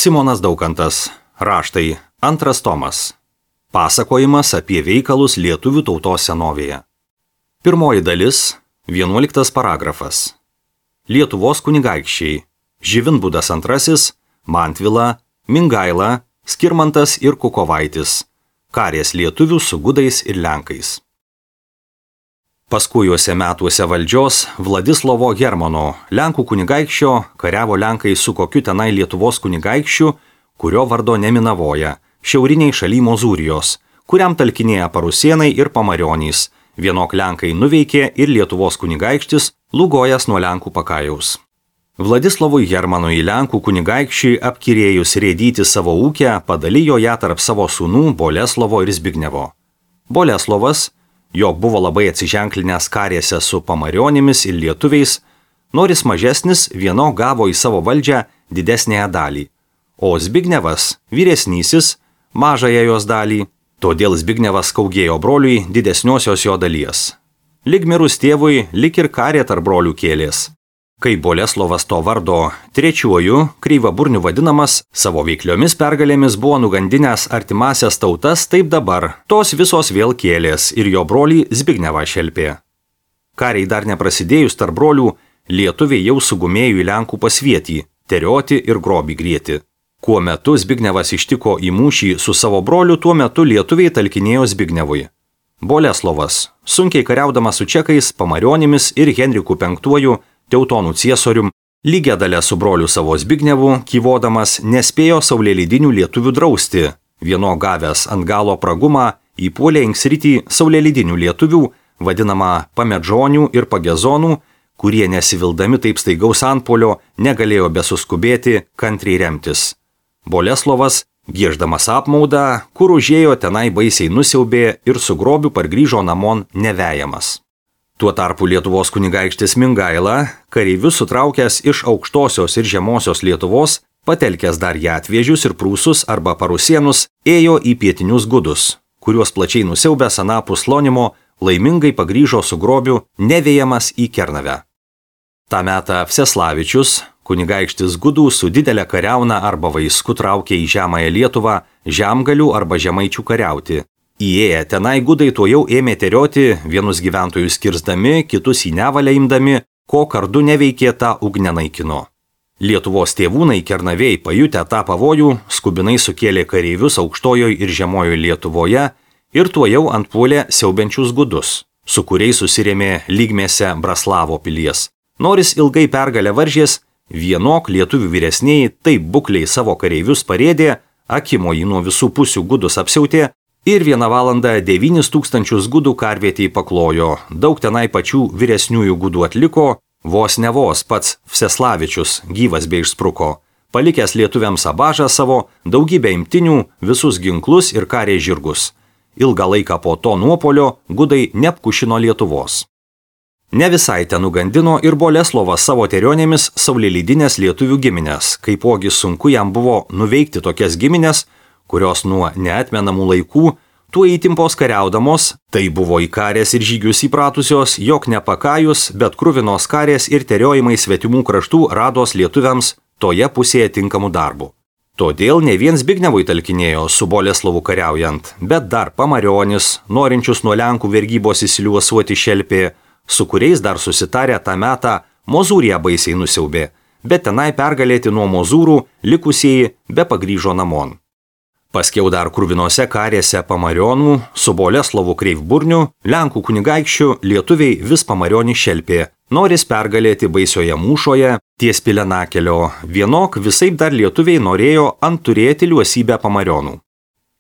Simonas Daukantas. Raštai. 2 tomas. Pasakojimas apie veikalus lietuvių tautos senovėje. Pirmoji dalis. 11 paragrafas. Lietuvos kunigaikščiai. Živinbudas II, Mantvila, Mingaila, Skirmantas ir Kukovaitis. Karės lietuvių su gudais ir lenkais. Paskujuose metuose valdžios Vladislovo Hermano, Lenkų kunigaikščio, kariavo lenkai su kokiu tenai Lietuvos kunigaikščiu, kurio vardo neminavoja, šiauriniai šaly Mozūrijos, kuriam talkinėja Parusėnai ir Pamarionys. Vienok lenkai nuveikė ir Lietuvos kunigaikštis, Lugojas nuo Lenkų pakajaus. Vladislovui Hermanui Lenkų kunigaikščiui apkirėjus rėdyti savo ūkę, padalijo ją tarp savo sūnų Boleslovo ir Zbignevo. Boleslovas, jog buvo labai atsiženklinęs karėse su Pamarionimis ir lietuviais, noris mažesnis vieno gavo į savo valdžią didesnėje dalį, o Zbignevas, vyresnysis, mažąją jos dalį, todėl Zbignevas kaugėjo broliui didesniosios jo dalies. Lig mirus tėvui, lig ir karė tarp brolių kėlės. Kai Boleslovas to vardo trečiuoju, Kryvaburniu vadinamas, savo veikliomis pergalėmis buvo nugandinęs artimasias tautas, taip dabar tos visos vėl kėlės ir jo brolį Zbignevą šelpė. Kariai dar neprasidėjus tarp brolių, lietuviai jau sugumėjo į Lenkų pasvietį, terioti ir grobį grieti. Kuo metu Zbignevas ištiko į mūšį su savo broliu, tuo metu lietuviai talkinėjo Zbignevui. Boleslovas, sunkiai kariaudamas su čekais, Pamarionimis ir Henriku V, Teutonų ciesorium, lygia dalę su broliu savo Zbignevu, kyvodamas, nespėjo saulėlydinių lietuvių drausti. Vieno gavęs ant galo pragumą įpuolė inksritį saulėlydinių lietuvių, vadinamą pamedžonių ir pagezonų, kurie nesivildami taip staigaus antpuolio negalėjo besuskubėti kantriai remtis. Boleslovas, gieždamas apmaudą, kur užėjo tenai baisiai nusiaubė ir su grobiu pargrįžo namon nevejamas. Tuo tarpu Lietuvos kunigaikštis Mingaila, kareivius sutraukęs iš aukštosios ir žemosios Lietuvos, patelkęs dar Jatvėžius ir Prūsus arba Parusėnus, ėjo į pietinius gudus, kuriuos plačiai nusiaubęs anapus Lonimo, laimingai pagrįžo su grobiu nevejamas į Kernavę. Ta metą Vseslavičius, kunigaikštis gudų su didelė kariauna arba vaisku traukė į žemąją Lietuvą žemgalių arba žemaičių kariauti. Įėję tenai gudai tuojau ėmė terioti, vienus gyventojus kirsdami, kitus į nevalę imdami, ko kardu neveikė tą ugnę naikino. Lietuvos tėvūnai Kernavėjai pajutę tą pavojų, skubinai sukėlė kareivius aukštojoje ir žemojoje Lietuvoje ir tuojau antpuolė siaubiančius gudus, su kuriais susirėmė lygmėse Braslavo pilies. Noris ilgai pergalę varžės, vienok lietuvių vyresnieji taip bukliai savo kareivius parėdė, akimoji nuo visų pusių gudus apsiautė, ir 1 valandą 9000 gudų karvietėj paklojo, daug tenai pačių vyresniųjų gudų atliko, vos ne vos pats Vseslavičius gyvas bei išspruko, palikęs lietuviams abažą savo, daugybę imtinių, visus ginklus ir karė žirgus. Ilgą laiką po to nuopolio gudai neapkušino Lietuvos. Ne visai ten nugandino ir Boleslovas savo terionėmis saulėlydinės lietuvių giminės, kaipogi sunku jam buvo nuveikti tokias giminės, kurios nuo neatmenamų laikų, tuo įtimpos kariaudamos, tai buvo į karės ir žygius įpratusios, jog nepakajus, bet kruvinos karės ir teriojimai svetimų kraštų rados lietuviams toje pusėje tinkamų darbų. Todėl ne vien Zbignevui talkinėjo su Boleslovu kariaujant, bet dar Pamarionis, norinčius nuo Lenkų vergybos įsiliuosuoti šelpė, su kuriais dar susitarę tą metą Mozūriją baisiai nusiaubė, bet tenai pergalėti nuo Mozūrų likusieji be pagrįžo namon. Paskiau dar kruvinose karėse Pamarionų, su Boleslovu Kryvaburniu, Lenkų kunigaikščiu lietuviai vis Pamarionį šelpė, noris pergalėti baisioje mūšoje, ties Pilenakelio, vienok visaip dar lietuviai norėjo antturėti liuosybę Pamarionų.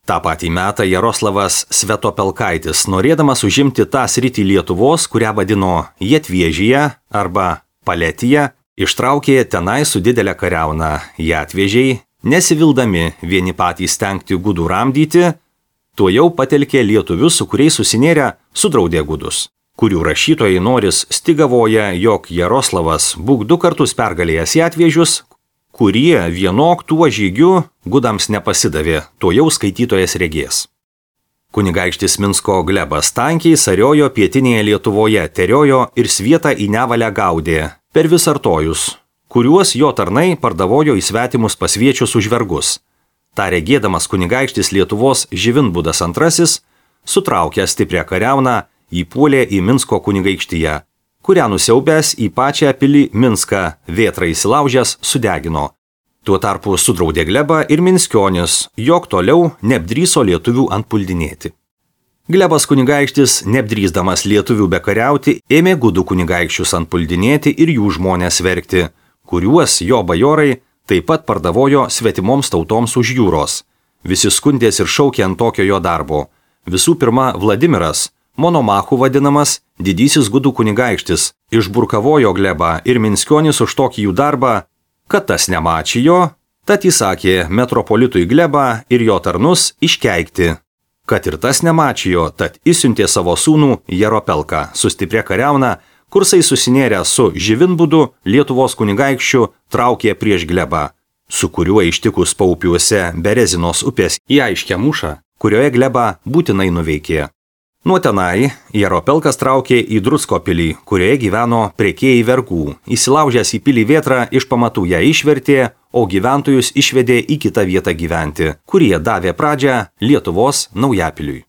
Ta patį metą Jaroslavas Svetopelkaitis, norėdamas užimti tą sritį Lietuvos, kurią vadino Jatvėžyje arba Paletija, ištraukė tenai su didelė kariauna Jatvėžiai, nesivildami vieni patys stengti gudų ramdyti, tuojau patelkė lietuvius, su kuriais susinėrę, sudraudė gudus, kurių rašytojai noris stigavoja, jog Jaroslavas būk 2 kartus pergalėjęs Jatvėžius, kurie vienok tuo žygiu gudams nepasidavė, tuojau skaitytojas regės. Kunigaikštis Minsko Glebas tankiai sariojo pietinėje Lietuvoje, teriojo ir svietą į nevalę gaudė, per Visartojus, kuriuos jo tarnai pardavojo į svetimus pasviečius už vergus. Ta regėdamas kunigaikštis Lietuvos Živinbudas II, sutraukęs stiprią kariauną, įpuolė į Minsko kunigaikštiją, kurią nusiaubęs į pačią pilį Minską vėtrą įsilaužęs sudegino. Tuo tarpu sudraudė Glebą ir Minskionis, jog toliau neapdryso lietuvių antpuldinėti. Glebas kunigaikštis, neapdrysdamas lietuvių bekariauti, ėmė gudų kunigaikščius antpuldinėti ir jų žmonės vergti, kuriuos jo bajorai taip pat pardavojo svetimoms tautoms už jūros. Visi skundės ir šaukė ant tokio jo darbo. Visų pirma, Vladimiras, Monomachu vadinamas, didysis gudų kunigaikštis, išburkavojo Glebą ir Minskionis už tokį jų darbą, kad tas nemačijo, tad įsakė metropolitui Glebą ir jo tarnus iškeikti. Kad ir tas nemačijo, tad įsiuntė savo sūnų Jaropelką su stipria kariauna, kursai susinėrę su Živinbudu, Lietuvos kunigaikščiu, traukė prieš Glebą, su kuriuo ištikus paupiuose Berezinos upės į aiškę mūšą, kurioje Glebą būtinai nuveikė. Nuo tenai Jaropelkas traukė į Drusko pilį, kurioje gyveno prekėjai vergų. Įsilaužęs į pilį vėtrą, iš pamatų ją išvertė, o gyventojus išvedė į kitą vietą gyventi, kurie davė pradžią Lietuvos Naujapiliui.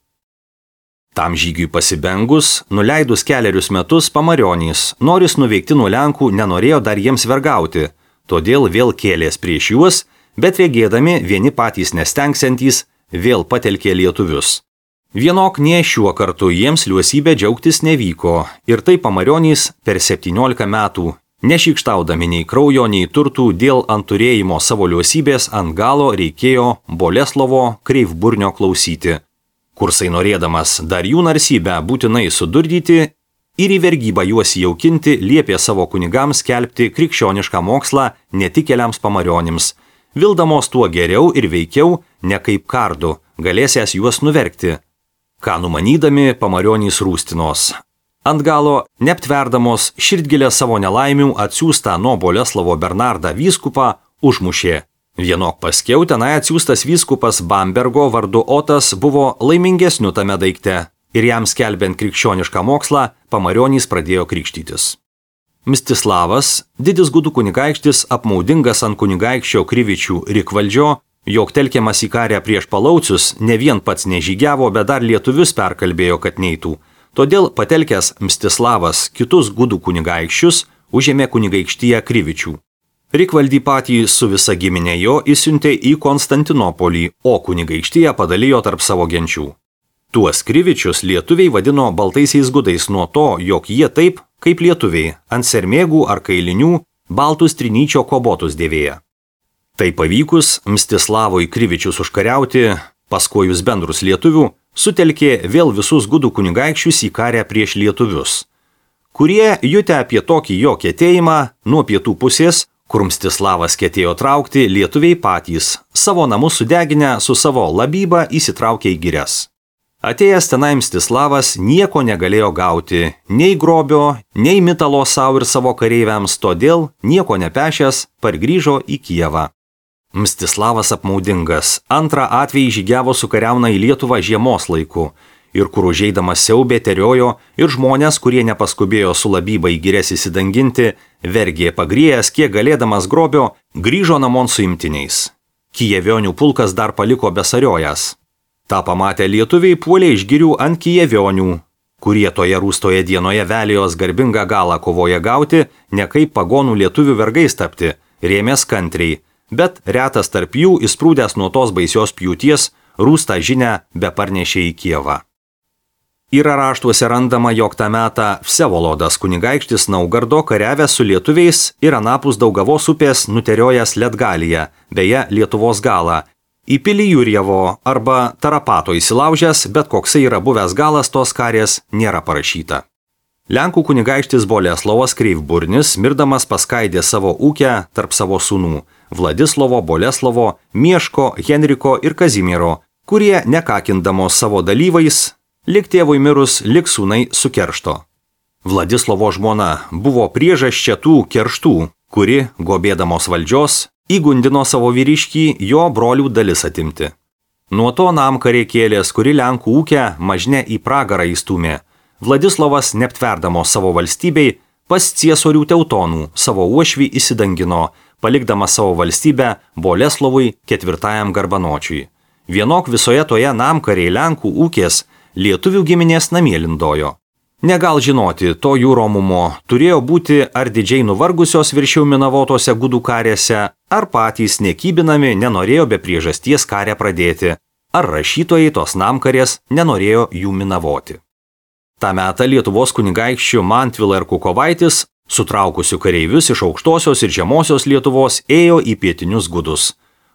Tam žygiui pasibengus, nuleidus kelerius metus Pamarionys, noris nuveikti nuo Lenkų, nenorėjo dar jiems vergauti, todėl vėl kėlės prieš juos, bet regėdami vieni patys nestengsiantys, vėl patelkė lietuvius. Vienok nie šiuo kartu jiems liuosybė džiaugtis nevyko ir tai Pamarionys per 17 metų, nešykštaudami nei kraujo, nei turtų dėl ant turėjimo savo liuosybės ant galo reikėjo Boleslovo Kreivburnio klausyti. Kursai norėdamas dar jų narsybę būtinai sudurdyti ir į vergybą juos jaukinti, liepė savo kunigams skelbti krikščionišką mokslą netikėliams Pamarionims, vildamos tuo geriau ir veikiau, ne kaip kardu, galėsęs juos nuvergti. Ką numanydami Pamarionys rūstinos. Ant galo, neaptverdamos širdgilę savo nelaimių atsiųstą nuo Boleslovo Bernardą vyskupą, užmušė. Vienok paskiau tenai atsiųstas vyskupas Bambergo vardu Otas buvo laimingesniu tame daikte ir jam skelbiant krikščionišką mokslą, Pamarionys pradėjo krikštytis. Mstislavas, didis gudų kunigaikštis, apmaudingas ant kunigaikščio Krivičių Rikvaldžio, jog telkiamas į karę prieš palaucius, ne vien pats nežygiavo, bet dar lietuvius perkalbėjo, kad neitų. Todėl patelkęs Mstislavas kitus gudų kunigaikščius užėmė kunigaikštiją Krivičių. Rikvaldį patį su visa giminė jo įsiuntė į Konstantinopolį, o kunigaikštiją padalijo tarp savo genčių. Tuos Krivičius lietuviai vadino baltaisiais gudais nuo to, jog jie taip, kaip lietuviai, ant sermėgų ar kailinių baltus trinyčio kobotus dėvėja. Tai pavykus Mstislavui Krivičius užkariauti, paskojus bendrus lietuvių, sutelkė vėl visus gudų kunigaikščius į karę prieš lietuvius, kurie jutę apie tokį jo ketėjimą nuo pietų pusės, kur Mstislavas ketėjo traukti, lietuviai patys, savo namus sudeginę su savo labyba įsitraukė į girias. Atėjęs tenai Mstislavas nieko negalėjo gauti, nei grobio, nei mitalo savo ir savo kareiviams, todėl nieko nepešęs pargrįžo į Kijevą. Mstislavas apmaudingas, antrą atvejį žygiavo su kariauna į Lietuvą žiemos laiku ir kur užeidamas siaubė teriojo ir žmonės, kurie nepaskubėjo su labyba į girias įsidanginti, vergė pagriejęs, kiek galėdamas grobio, grįžo namon su imtiniais. Kijevionių pulkas dar paliko besariojas. Ta pamatę lietuviai puolė iš girių ant kijevionių, kurie toje rūstoje dienoje velijos garbingą galą kovoja gauti, ne kaip pagonų lietuvių vergais tapti, rėmės kantriai, bet retas tarp jų, įsprūdęs nuo tos baisios pjūties, rūstą žinią beparnešė į Kijevą. Yra raštuose randama, jog tą metą Vsevolodas kunigaikštis Naugardo kariavęs su lietuviais ir anapus Daugavos upės nuteriojęs Letgaliją, beje Lietuvos galą, į pilį Jurjevo arba Tarapato įsilaužęs, bet koksai yra buvęs galas tos karės nėra parašyta. Lenkų kunigaikštis Boleslovas Kreivburnis, mirdamas paskaidė savo ūkę tarp savo sūnų Vladislovo, Boleslovo, Mieško, Henriko ir Kazimiero, kurie nekakindamos savo dalyvais, lik tėvui mirus, lik sūnai sukeršto. Vladislovo žmona buvo priežasčia tų kerštų, kuri, gobėdamos valdžios, įgundino savo vyriškį jo brolių dalis atimti. Nuo to namkarėkėlės, kuri Lenkų ūkę mažne į pragarą įstūmė, Vladislovas, neaptverdamos savo valstybei, pas ciesorių Teutonų savo uošvį įsidangino, palikdamas savo valstybę Boleslovui IV Garbanočiui. Vienok visoje toje namkariai Lenkų ūkės lietuvių giminės namie lindojo. Negal žinoti, to jų romumo turėjo būti ar didžiai nuvargusios viršiau minavotose gudų karėse, ar patys nekybinami nenorėjo be priežasties karę pradėti, ar rašytojai tos namkarės nenorėjo jų minavoti. Ta metą Lietuvos kunigaikščių Mantvila ir Kukovaitis, sutraukusių kareivius iš aukštosios ir žemosios Lietuvos, ėjo į pietinius gudus.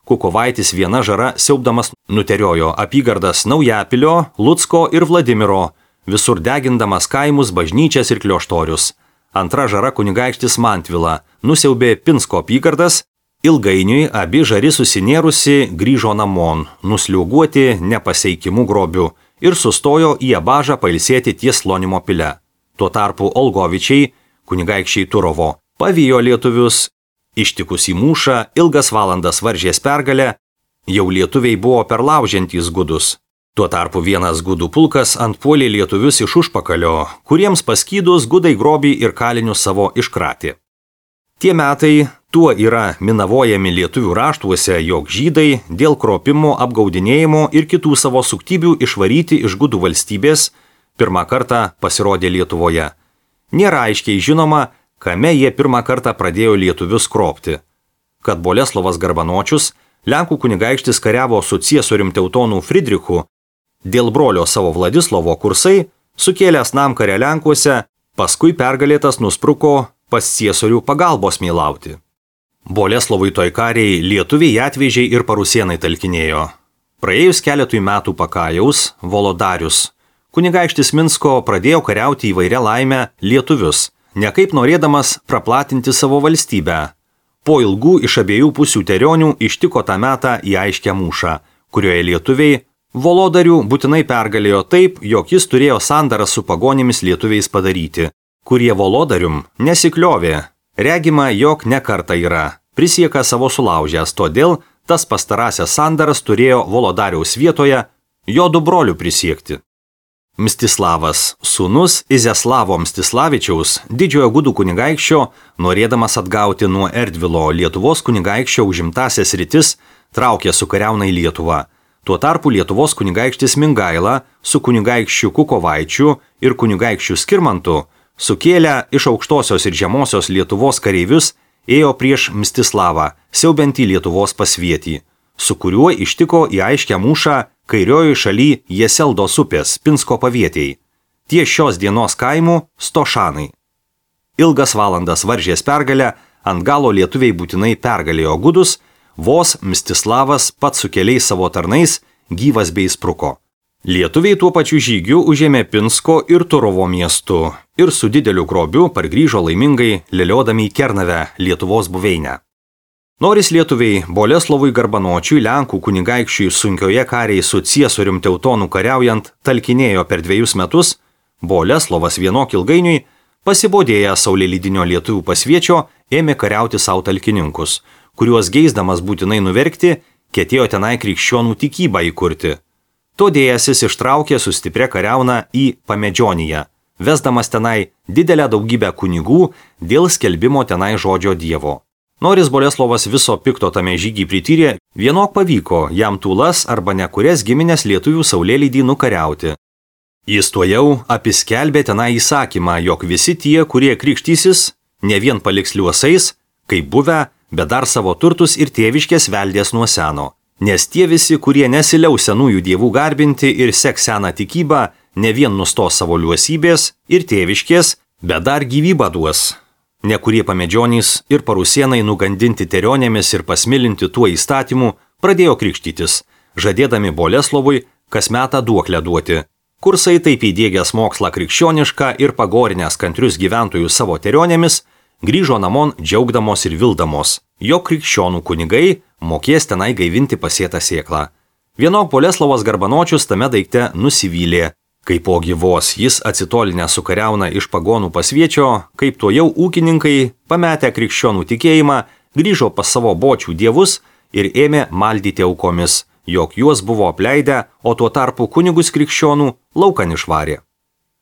Kukovaitis viena žara siaubdamas nuteriojo apygardas Naujapilio, Lucko ir Vladimiro, visur degindamas kaimus, bažnyčias ir klioštorius. Antra žara kunigaikštis Mantvila nusiaubė Pinsko apygardas, ilgainiui abi žari susinėrusi grįžo namon, nusliuoguoti nepaseikimu grobiu ir sustojo į Abažą pailsėti ties Slonimo pile. Tuo tarpu Olgovičiai, kunigaikščiai Turovo, pavijo lietuvius, ištikus į mūšą, ilgas valandas varžės pergalę, jau lietuviai buvo perlaužiantys gudus. Tuo tarpu vienas gudų pulkas antpuolė lietuvius iš užpakalio, kuriems paskydus gudai grobį ir kalinius savo iškratė. Tie metai tuo yra minavojami lietuvių raštuose, jog žydai dėl kropimo, apgaudinėjimo ir kitų savo suktybių išvaryti iš gudų valstybės pirmą kartą pasirodė Lietuvoje. Nėra aiškiai žinoma, kame jie pirmą kartą pradėjo lietuvius kropti. Kad Boleslovas Garbanočius, Lenkų kunigaikštis kariavo su ciesorium Teutonų Fridrichu, dėl brolio savo Vladislovo kursai, sukėlęs namkarę Lenkuose, paskui pergalėtas nuspruko pas ciesorių pagalbos mylauti. Boleslovui toj kariai lietuviai atvežiai ir parusienai talkinėjo. Praėjus keletui metų Pakajaus, Volodarius, kunigaikštis Minsko pradėjo kariauti įvairia laimę lietuvius, nekaip norėdamas praplatinti savo valstybę. Po ilgų iš abiejų pusių terionių ištiko tą metą į aiškę mūšą, kurioje lietuviai Volodarių būtinai pergalėjo taip, jog jis turėjo sandarą su pagonimis lietuviais padaryti, kurie Volodarium nesikliovė. Regima, jog ne kartą yra, prisieka savo sulaužęs, todėl tas pastarąsias sandaras turėjo Volodariaus vietoje jo du brolių prisiekti. Mstislavas, sūnus Iziaslavo Mstislavičiaus, didžiojo gudų kunigaikščio, norėdamas atgauti nuo Erdvilo Lietuvos kunigaikščio užimtasias rytis, traukė su kariauna į Lietuvą. Tuo tarpu Lietuvos kunigaikštis Mingaila su kunigaikščiu Kukovaičiu ir kunigaikščiu Skirmantu sukėlę iš aukštosios ir žemosios Lietuvos kareivius ėjo prieš Mstislavą, siaubiantį Lietuvos pasvietį, su kuriuo ištiko į aiškę mūšą kairioji šaly Jeseldos upės Pinsko pavietėjai. Ties šios dienos kaimų Stošanai. Ilgas valandas varžės pergalę, ant galo lietuviai būtinai pergalėjo gudus, vos Mstislavas pats su keliais savo tarnais gyvas bei spruko. Lietuviai tuo pačiu žygiu užėmė Pinsko ir Turovo miestu ir su dideliu grobiu pargrįžo laimingai leliodami į Kernavę, Lietuvos buveinę. Noris lietuviai Boleslovui Garbanočiui, Lenkų kunigaikščiui sunkioje kariai su ciesorium Teutonų kariaujant talkinėjo per 2 metus, Boleslovas vienok ilgainiui, pasibodėjęs saulėlydinio lietuvių pasviečio, ėmė kariauti savo talkininkus, kuriuos geisdamas būtinai nuverkti, ketėjo tenai krikščionų tikybą įkurti. Todėjasis ištraukė su stipria kariauna į Pamedžioniją, vesdamas tenai didelę daugybę kunigų dėl skelbimo tenai žodžio Dievo. Noris Boleslovas viso pikto tame žygį prityrė, vienok pavyko jam tūlas arba nekurias giminės lietuvių saulėlydį nukariauti. Jis tuojau apiskelbė tenai įsakymą, jog visi tie, kurie krikštysis, ne vien paliks liuosais, kaip buvę, bet dar savo turtus ir tėviškės veldės nuo seno. Nes tie visi, kurie nesiliaus senųjų dievų garbinti ir seks seną tikybą, ne vien nustos savo liuosybės ir tėviškės, bet dar gyvybę duos. Nekurie pamedžionys ir parusienai nugandinti terionėmis ir pasmilinti tuo įstatymu pradėjo krikštytis, žadėdami Boleslovui kas metą duoklę duoti. Kursai taip įdiegęs mokslą krikščionišką ir pagorinęs kantrius gyventojus savo terionėmis, grįžo namon džiaugdamos ir vildamos, jog krikščionų kunigai mokės tenai gaivinti pasėtą sėklą. Vienok Boleslovas Garbanočius tame daikte nusivylė, kaip po gyvos jis atsitolinę su kariauna iš pagonų pasviečio, kaip to jau ūkininkai, pametę krikščionų tikėjimą, grįžo pas savo bočių dievus ir ėmė maldyti aukomis, jog juos buvo apleidę, o tuo tarpu kunigus krikščionų laukan išvarė.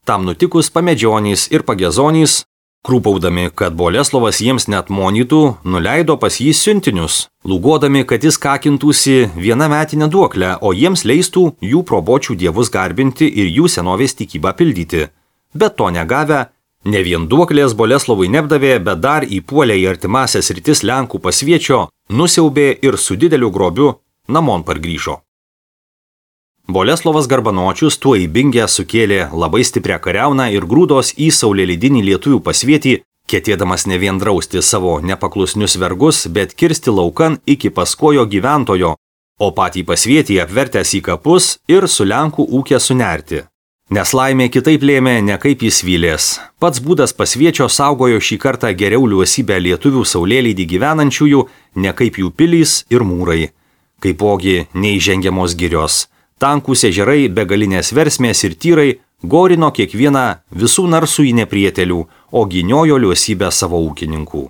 Tam nutikus pamedžionys ir pagezonys Krūpaudami, kad Boleslovas jiems net monytų, nuleido pas jį siuntinius, lūgodami, kad jis kakintųsi vieną metinę duoklę, o jiems leistų jų probočių dievus garbinti ir jų senovės tikybą pildyti. Bet to negavę, ne vien duoklės Boleslovui neapdavė, bet dar įpuolė į artimasias rytis Lenkų pasviečio, nusiaubė ir su dideliu grobiu namon pargrįžo. Boleslovas Garbanočius tuo įbingę sukėlė labai stiprią kariauną ir grūdos į saulėlydinį lietuvių pasvietį, ketėdamas ne vien drausti savo nepaklusnius vergus, bet kirsti laukan iki paskojo gyventojo, o patį pasvietį apvertęs į kapus ir su Lenkų ūkė sunerti. Nes laimė kitaip lėmė, ne kaip jis vylės. Pats būdas pasviečio saugojo šį kartą geriau liuosybę lietuvių saulėlydį gyvenančiųjų, ne kaip jų pilys ir mūrai. Kaipogi neįžengiamos girios. Tankūs ežerai, begalinės versmės ir tyrai gorino kiekvieną visų narsų į neprietelių, o gyniojo liuosybę savo ūkininkų.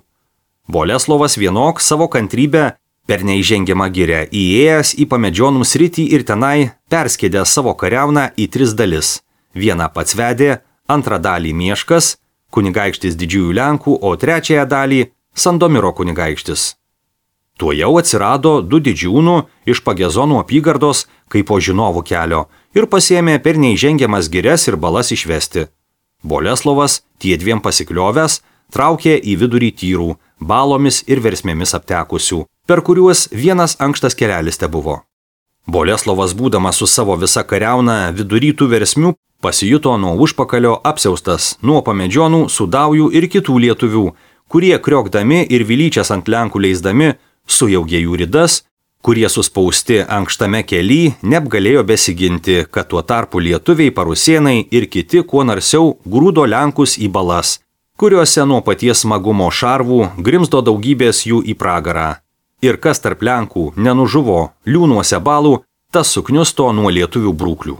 Boleslovas vienok savo kantrybę per neįžengiamą girę įėjęs į pamedžionų sritį ir tenai perskėdė savo kariauną į 3 dalis. Vieną pats vedė, antrą dalį Mieškas, kunigaikštis didžiųjų Lenkų, o trečiąją dalį Sandomiro kunigaikštis. Tuo jau atsirado 2 didžiūnų iš Pagezonų apygardos kaip po žinovų kelio ir pasiėmė per neįžengiamas girias ir balas išvesti. Boleslovas, tie 2 pasikliovęs, traukė į vidurį tyrų, balomis ir versmėmis aptekusių, per kuriuos vienas ankštas kelelis tebuvo. Boleslovas, būdamas su savo visa kariauna vidury tų versmių, pasijuto nuo užpakalio apsiaustas, nuo pamedžionų, sudaujų ir kitų lietuvių, kurie kriokdami ir vilyčias ant Lenkų leisdami, sujaugė jų ridas, kurie suspausti ankštame kely neapgalėjo besiginti, kad tuo tarpu lietuviai, parusėnai ir kiti kuo narsiau grūdo Lenkus į balas, kuriuose nuo paties smagumo šarvų grimzdo daugybės jų į pragarą. Ir kas tarp Lenkų nenužuvo liūnuose balų, tas sukniusto nuo lietuvių brūklių.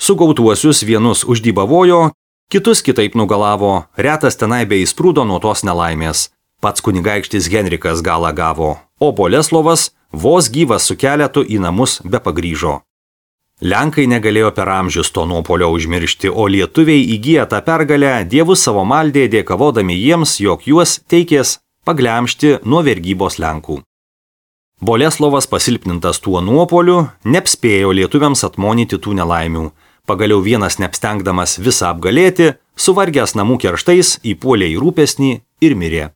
Sugautuosius vienus uždybavojo, kitus kitaip nugalavo, retas tenai bei įsprūdo nuo tos nelaimės. Pats kunigaikštis Henrikas galą gavo, o Boleslovas vos gyvas su keletu į namus be pagrįžo. Lenkai negalėjo per amžius to nuopolio užmiršti, o lietuviai įgiję tą pergalę dievus savo maldė dėkavodami jiems, jog juos teikės paglemžti nuo vergybos Lenkų. Boleslovas pasilpnintas tuo nuopoliu neapspėjo lietuviams atmonyti tų nelaimių. Pagaliau vienas neapstengdamas visą apgalėti, suvargęs namų kerštais įpuolė į rūpesnį ir mirė.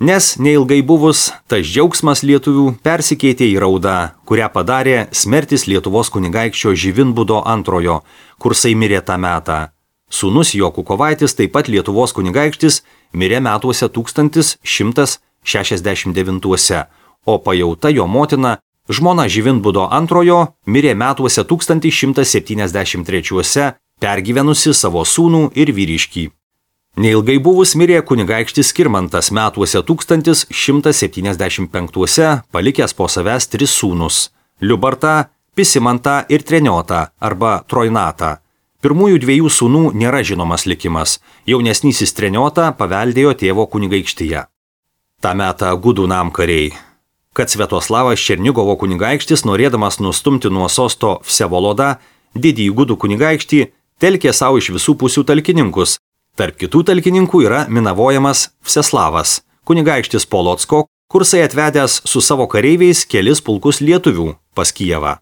Nes neilgai buvus, tas džiaugsmas lietuvių persikeitė į raudą, kurią padarė smertis Lietuvos kunigaikščio Živinbudo II, kursai mirė tą metą. Sūnus jo Kukovaitis, taip pat Lietuvos kunigaikštis, mirė metuose 1169, o pajauta jo motina, žmona Živinbudo II, mirė metuose 1173, pergyvenusi savo sūnų ir vyriškį. Neilgai buvus mirė kunigaikštis Skirmantas metuose 1175, palikęs po savęs 3 sūnus – Liubartą, Pisimantą ir Treniotą arba Trojnatą. Pirmųjų 2 sūnų nėra žinomas likimas, jaunesnysis Treniotą paveldėjo tėvo kunigaikštyje. Ta metą gudų namkariai. Kad Sviatoslavas Černigovo kunigaikštis, norėdamas nustumti nuo sosto Vsevolodą, didįjį gudų kunigaikštį, telkė savo iš visų pusių talkininkus. Tarp kitų talkininkų yra minavojamas Vseslavas, kunigaikštis Polocko, kursai atvedęs su savo kareiviais kelis pulkus lietuvių pas Kijevą.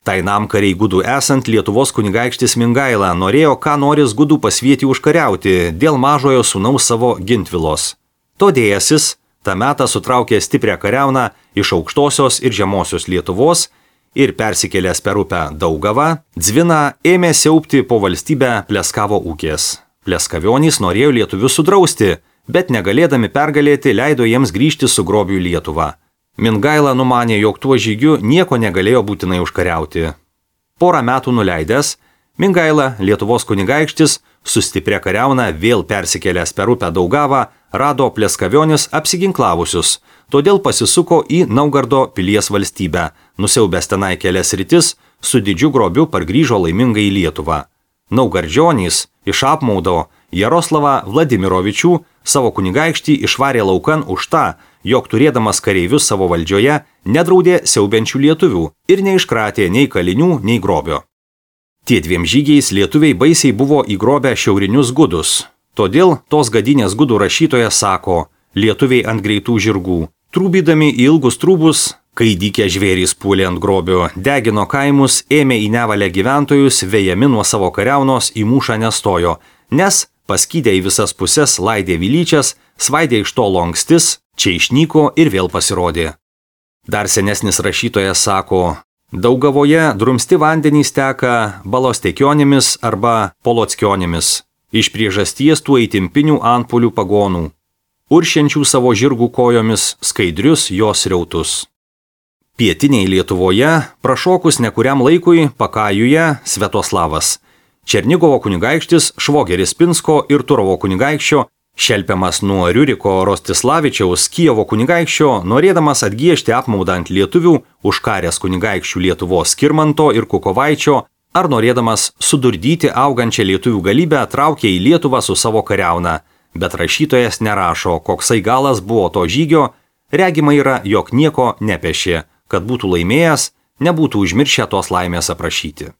Tai namkariai gudų esant Lietuvos kunigaikštis Mingaila norėjo ką noris gudų pasvietį užkariauti dėl mažojo sūnaus savo Gintvilos. Todėjasis tą metą sutraukė stiprią kariauną iš aukštosios ir žemosios Lietuvos ir persikėlęs per upę Daugavą, Dzviną ėmė siaubti po valstybę Pleskavo ūkės. Pleskavionys norėjo lietuvius sudrausti, bet negalėdami pergalėti leido jiems grįžti su grobiu į Lietuvą. Mingaila numanė, jog tuo žygiu nieko negalėjo būtinai užkariauti. Porą metų nuleidęs, Mingaila, Lietuvos kunigaikštis, su stipria kariauna vėl persikėlęs per upę Daugavą, rado Pleskavionis apsiginklavusius, todėl pasisuko į Naugardo pilies valstybę, nusiaubęs tenai kelias rytis, su didžiu grobiu pargrįžo laimingai į Lietuvą. Naugardžionys iš apmaudo Jaroslavą Vladimirovičių savo kunigaikštį išvarė laukan už tą, jog turėdamas kareivius savo valdžioje nedraudė siaubiančių lietuvių ir neiškratė nei kalinių, nei grobio. Tie 2 žygiais lietuviai baisiai buvo įgrobę šiaurinius gudus. Todėl tos gadinės gudų rašytojas sako, lietuviai ant greitų žirgų, trūbydami į ilgus trūbus, kai dykę žvėrys puolė ant grobio, degino kaimus, ėmė į nevalę gyventojus, vejami nuo savo kariaunos į mūšą nestojo, nes paskydę į visas puses laidė vilyčias, svaidė iš tolo ankstis, čia išnyko ir vėl pasirodė. Dar senesnis rašytojas sako, Daugavoje drumsti vandenys teka balostekionėmis arba polockionėmis, iš priežasties tų įtimpinių antpuolių pagonų, uršiančių savo žirgų kojomis skaidrius jos riautus. Pietiniai Lietuvoje, prašokus nekuriam laikui, Pakajuje Sviatoslavas, Černigovo kunigaikštis Švogeris Pinsko ir Turovo kunigaikščio, šelpiamas nuo Riuriko Rostislavičiaus Kijevo kunigaikščio, norėdamas atgiežti apmaudą ant lietuvių, užkaręs kunigaikščių Lietuvos Skirmanto ir Kukovaičio, ar norėdamas sudurdyti augančią lietuvių galybę, traukė į Lietuvą su savo kariauna. Bet rašytojas nerašo, koksai galas buvo to žygio, regima yra, jog nieko nepešė, kad būtų laimėjęs, nebūtų užmiršę tos laimės aprašyti.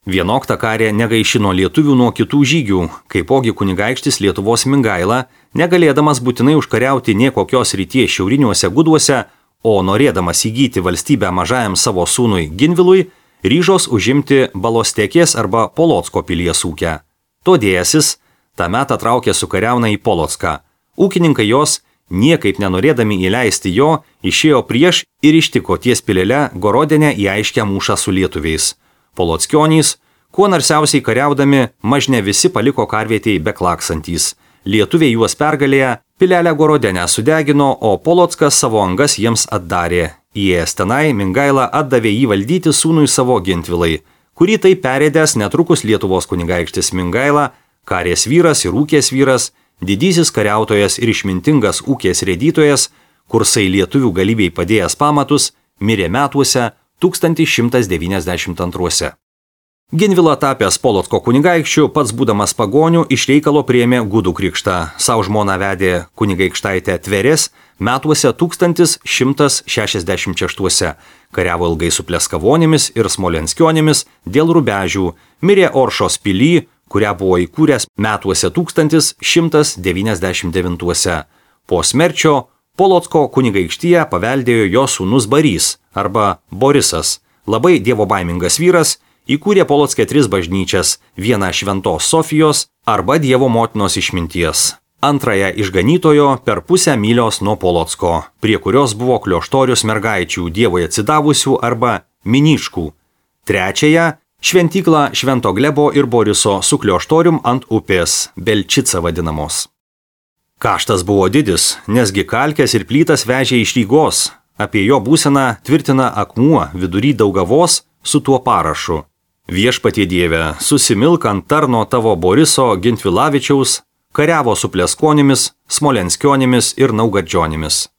Vienokta karė negaišino lietuvių nuo kitų žygių, kaipogi kunigaikštis Lietuvos Mingaila, negalėdamas būtinai užkariauti nie kokios ryties šiauriniuose guduose, o norėdamas įgyti valstybę mažajam savo sūnui Ginvilui, ryžos užimti Balostekės arba Polocko pilies ūkę. Todėjasis tą metą traukė su kariauna į Polocką. Ūkininkai jos, niekaip nenorėdami įleisti jo, išėjo prieš ir ištiko ties pilėle Gorodene į aiškę mūšą su lietuviais. Polockionys, kuo narsiausiai kariaudami, mažne visi paliko karvietėj beklaksantys. Lietuviai juos pergalėję, pilelę Gorodenę sudegino, o Polockas savo angas jiems atdarė. Įėjęs tenai, Mingaila atdavė jį valdyti sūnui savo Gintvilai, kurį tai perėdęs netrukus Lietuvos kunigaikštis Mingaila, karės vyras ir ūkės vyras, didysis kariautojas ir išmintingas ūkės rėdytojas, kursai lietuvių galybei padėjęs pamatus, mirė metuose 1192. Ginvilą tapęs Polocko kunigaikščiu, pats būdamas pagonių, iš reikalo priėmė gudų krikštą. Sau žmoną vedė kunigaikštaitę Tverės metuose 1166. Kariavo ilgai su Pleskavonėmis ir Smolenskionėmis dėl rubežių, mirė Oršos pily, kurią buvo įkūręs metuose 1199. Po smerčio Polocko kunigaikštyje paveldėjo jo sūnus Barys arba Borisas, labai dievobaimingas vyras, įkūrė Polocke 3 bažnyčias, vieną Šventos Sofijos arba Dievo motinos išminties, antrąją išganytojo per pusę mylios nuo Polocko, prie kurios buvo klioštorius mergaičių Dievui atsidavusių arba miniškų, trečiąją šventyklą Švento Glebo ir Boriso su klioštorium ant upės, Belčica vadinamos. Kaštas buvo didis, nesgi kalkės ir plytas vežė iš Rygos, apie jo būseną tvirtina akmuo vidury Daugavos su tuo parašu. Viešpatie Dieve, susimilk ant tarno tavo Boriso Gintvilavičiaus, kariavo su Pleskonimis, Smolenskionėmis ir Naugardžionimis.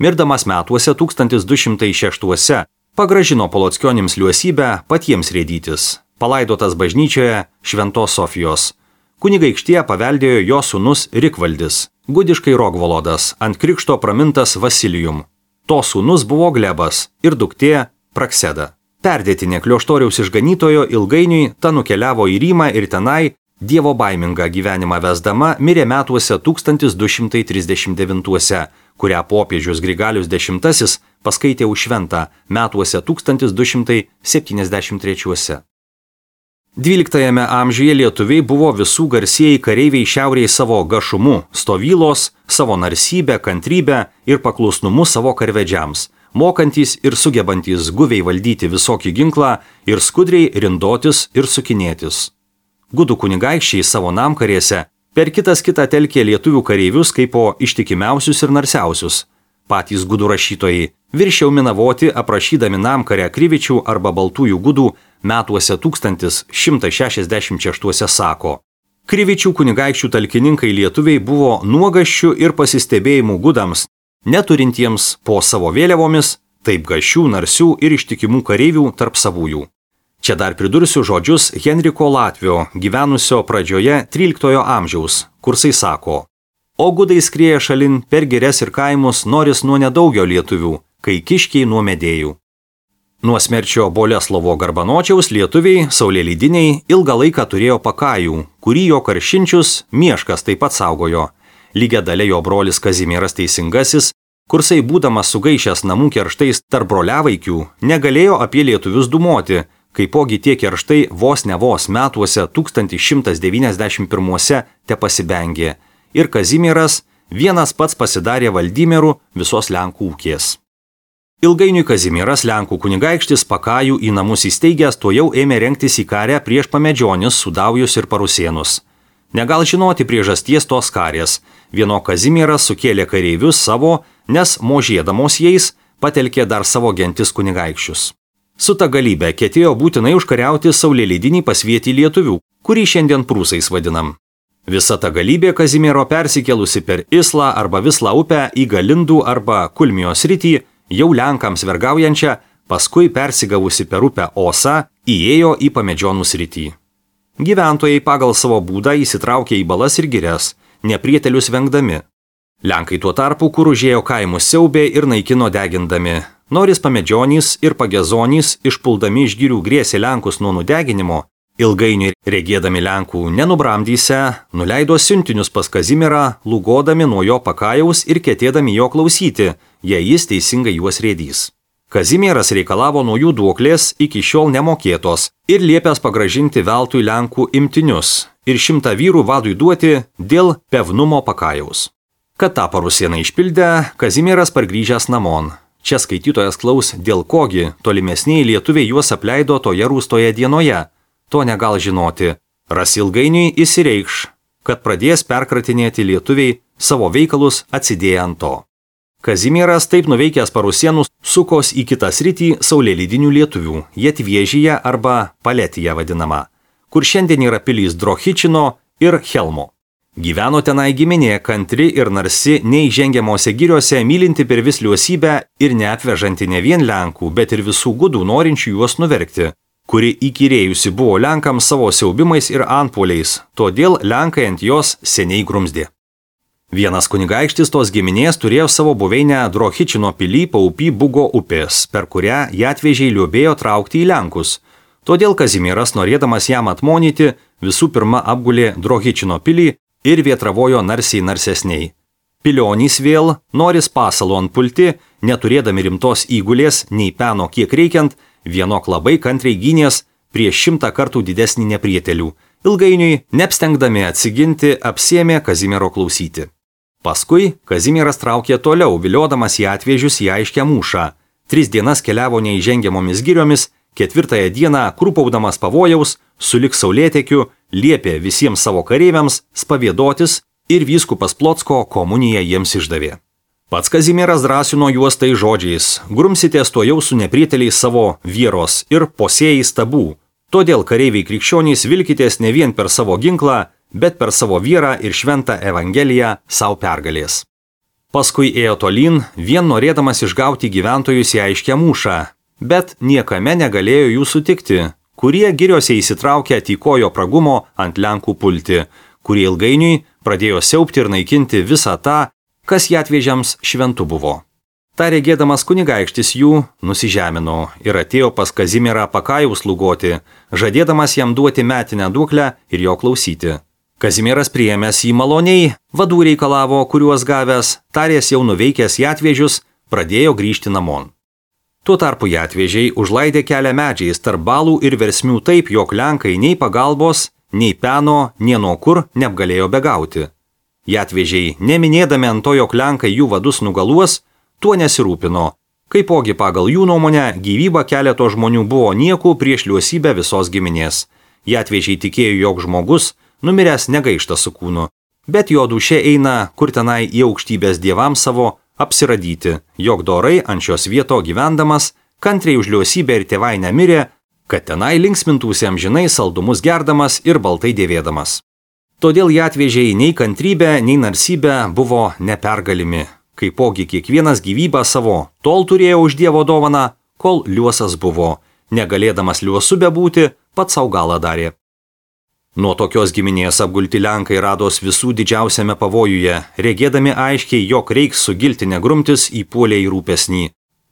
Mirdamas metuose 1206 pagražino Polockionėms liuosybę patiems rėdytis, palaidotas bažnyčioje Šventos Sofijos. Kunigaikštyje paveldėjo jo sūnus Rikvaldis, gudiškai Rogvolodas, ant krikšto pramintas Vasilijum. To sūnus buvo Glebas ir duktė Prakseda. Perdėtinė klioštoriaus išganytojo ilgainiui ta nukeliavo į Rymą ir tenai, dievo baimingą gyvenimą vesdama, mirė metuose 1239, kurią popiežius Grigalius X paskaitė už šventą metuose 1273. 12 amžiuje lietuviai buvo visų garsieji kareiviai šiauriai savo gašumu, stovylos, savo narsybę, kantrybę ir paklusnumu savo karvedžiams, mokantys ir sugebantys guviai valdyti visokį ginklą ir skudriai rindotis ir sukinėtis. Gudų kunigaikščiai savo namkarėse per kitą telkė lietuvių kareivius kaip po ištikimiausius ir narsiausius. Patys gudų rašytojai viršiau minavoti aprašydami namkarę Krivičių arba Baltųjų gudų metuose 1166 sako. Krivičių kunigaikščių talkininkai lietuviai buvo nuogaščių ir pasistebėjimų gudams, neturintiems po savo vėliavomis, taip gašių, narsių ir ištikimų kareivių tarp savųjų. Čia dar pridursiu žodžius Henriko Latvio, gyvenusio pradžioje 13 amžiaus, kursai sako: O gudai skrieja šalin per girias ir kaimus noris nuo nedaugio lietuvių, kai kiškiai nuo medėjų. Nuo smerčio Boleslovo Garbanočiaus lietuviai, saulėlydiniai, ilgą laiką turėjo Pakajų, kurį jo karšinčius Mieškas taip pat saugojo. Lygia dalė jo brolis Kazimieras Teisingasis, kursai būdamas sugaišęs namų kerštais tarp broliavaikių, negalėjo apie lietuvius dūmoti, kaipogi tie kerštai vos ne vos metuose 1191 te pasibengė. Ir Kazimieras vienas pats pasidarė Valdymieru visos Lenkų ūkės. Ilgainiui Kazimieras Lenkų kunigaikštis Pakajų į namus įsteigęs tuojau ėmė rengtis į karę prieš pamedžionis, Sudaujus ir Parusėnus. Negal žinoti priežasties tos karės. Vieno Kazimieras sukėlė kareivius savo, nes možėdamos jais patelkė dar savo gentis kunigaikščius. Su ta galybė ketėjo būtinai užkariauti saulėlydinį pasvietį lietuvių, kurį šiandien prūsais vadinam. Visa ta galybė Kazimiero persikėlusi per Islą arba Vislą upę į Galindų arba Kulmijos sritį, jau Lenkams vergaujančią, paskui persigavusi per upę Osą, įėjo į pamedžionų sritį. Gyventojai pagal savo būdą įsitraukė į balas ir girias, neprietelius vengdami. Lenkai tuo tarpu, kur užėjo kaimus siaubė ir naikino degindami. Noris pamedžionys ir pagezonys, išpuldami iš girių grėsė Lenkus nuo nudeginimo, ilgainiui regėdami Lenkų nenubramdyse, nuleido siuntinius pas Kazimierą, lūgodami nuo jo Pakajaus ir ketėdami jo klausyti, jei jis teisingai juos rėdys. Kazimieras reikalavo nuo jų duoklės iki šiol nemokėtos ir liepęs pagrąžinti veltui Lenkų imtinius ir 100 vyrų vadui duoti dėl pevnumo Pakajaus. Kad tą Parusėną išpildę, Kazimieras pargrįžęs namon. Čia skaitytojas klaus, dėl kogi tolimesniai lietuviai juos apleido toje rūstoje dienoje. To negal žinoti. Ras ilgainiui įsireikš, kad pradės perkratinėti lietuviai savo veikalus atsidėję ant to. Kazimieras taip nuveikęs Parusėnus sukos į kitą sritį saulėlydinių lietuvių, Jetviežyje arba Paletija vadinama, kur šiandien yra pilys Drohičino ir Helmo. Gyveno tenai giminė kantri ir narsi neįžengiamose giriuose, mylinti per vis liuosybę ir neapvežanti ne vien Lenkų, bet ir visų gudų norinčių juos nuverkti, kuri įkyrėjusi buvo Lenkams savo siaubimais ir antpuoliais, todėl Lenkai ant jos seniai grumsdė. Vienas kunigaikštis tos giminės turėjo savo buveinę Drohičino pily paupy Bugo upės, per kurią Jatvežiai liuobėjo traukti į Lenkus. Todėl Kazimieras, norėdamas jam atmonyti, visų pirma apgulė Drohičino pilį ir vietravojo narsiai narsesniai. Pilionys vėl, noris pasalo ant pulti, neturėdami rimtos įgulės, nei peno kiek reikiant, vienok labai kantriai gynės prieš 100 kartų didesnį neprietelių. Ilgainiui, neapstengdami atsiginti, apsėmė Kazimiero klausyti. Paskui Kazimieras traukė toliau, viliodamas į Jatvežius į aiškę mūšą. 3 dienas keliavo neįžengiamomis giriomis, 4 dieną, krūpaudamas pavojaus, sulig saulėtekiu, liepė visiems savo kareiviams spavėdotis ir vyskupas Plocko komuniją jiems išdavė. Pats Kazimieras drąsino juos tai žodžiais: grumsitės to jau su neprieteliais savo vieros ir posėjai stabų. Todėl kareiviai krikščionys vilkitės ne vien per savo ginklą, bet per savo vyrą ir šventą Evangeliją savo pergalės. Paskui ėjo tolyn, vien norėdamas išgauti gyventojus į aiškę mūšą, bet niekame negalėjo jų sutikti, kurie giriuose įsitraukė tykojo pragumo ant Lenkų pulti, kurie ilgainiui pradėjo siaubti ir naikinti visą tą, kas Jatvežiams šventu buvo. Ta regėdamas kunigaikštis jų nusižemino ir atėjo pas Kazimierą Pakajaus lūgoti, žadėdamas jam duoti metinę duoklę ir jo klausyti. Kazimieras priėmęs jį maloniai, vadų reikalavo, kuriuos gavęs, tarės jau nuveikęs Jatvežius, pradėjo grįžti namon. Tuo tarpu Jatvežiai užlaidė kelią medžiais tarp balų ir versmių taip, jog Lenkai nei pagalbos, nei peno, nie nuo kur neapgalėjo begauti. Jatvežiai, neminėdami ant to, jog Lenkai jų vadus nugaluos, tuo nesirūpino. Kaipogi pagal jų nuomonę gyvyba keleto žmonių buvo niekų prieš liuosybę visos giminės. Jatvežiai tikėjo, jog žmogus numiręs negaišta su kūnu, bet jo dūšė eina kur tenai į aukštybės dievams savo apsiradyti, jog dorai ant šios vieto gyvendamas, kantriai už liuosybę ir tėvainę mirė, kad tenai linksmintųsi amžinai saldumus gerdamas ir baltai dėvėdamas. Todėl Jatvežiai nei kantrybė, nei narsybė buvo nepergalimi, kaipogi kiekvienas gyvybę savo tol turėjo už Dievo dovaną, kol liuosas buvo, negalėdamas liuosu bebūti, pats savo galą darė. Nuo tokios giminės apgulti Lenkai rados visų didžiausiame pavojuje, regėdami aiškiai, jog reiks su giltine grumtis įpuolė į rūpesnį.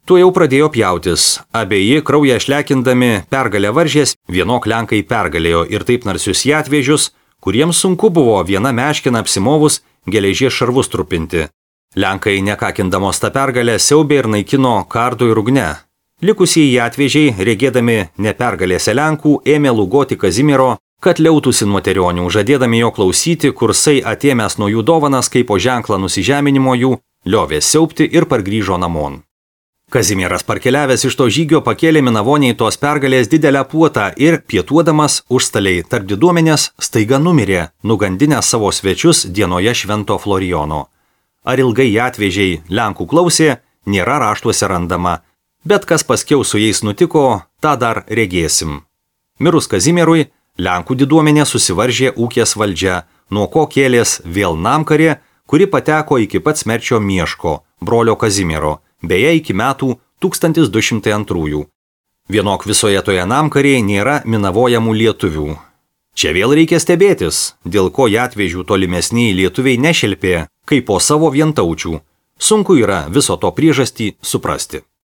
Tu jau pradėjo pjautis, abieji kraują šlekindami pergalę varžės, vienok lenkai pergalėjo ir taip narsius jatvežius, kuriems sunku buvo viena meškina apsimovus geležies šarvus trupinti. Lenkai, nekakindamos tą pergalę, siaubė ir naikino kardu ir ugne. Likusieji atvežiai, regėdami nepergalėse Lenkų, ėmė lūgoti Kazimiero, kad liautųsi nuo terionių, žadėdami jo klausyti, kursai atėmęs nuo jų dovanas kaip po ženklą nusižeminimo jų, liovė siaubti ir pargrįžo namon. Kazimieras parkeliavęs iš to žygio pakėlė Minavoniai tos pergalės didelę puotą ir, pietuodamas užstaliai tarp diduomenės, staiga numirė, nugandinęs savo svečius dienoje švento Florijono. Ar ilgai atvežiai Lenkų klausė, nėra raštuose randama, bet kas paskiau su jais nutiko, tą dar regėsim. Mirus Kazimierui, Lenkų diduomenė susivaržė ūkės valdžia, nuo ko kėlės vėl namkarė, kuri pateko iki pat Smerčio Mieško, brolio Kazimiero, beje iki metų 1202. Vienok visoje toje namkarėje nėra minavojamų lietuvių. Čia vėl reikia stebėtis, dėl ko jatvežių tolimesniai lietuviai nešelpė, kaip po savo vientaučių. Sunku yra viso to priežastį suprasti.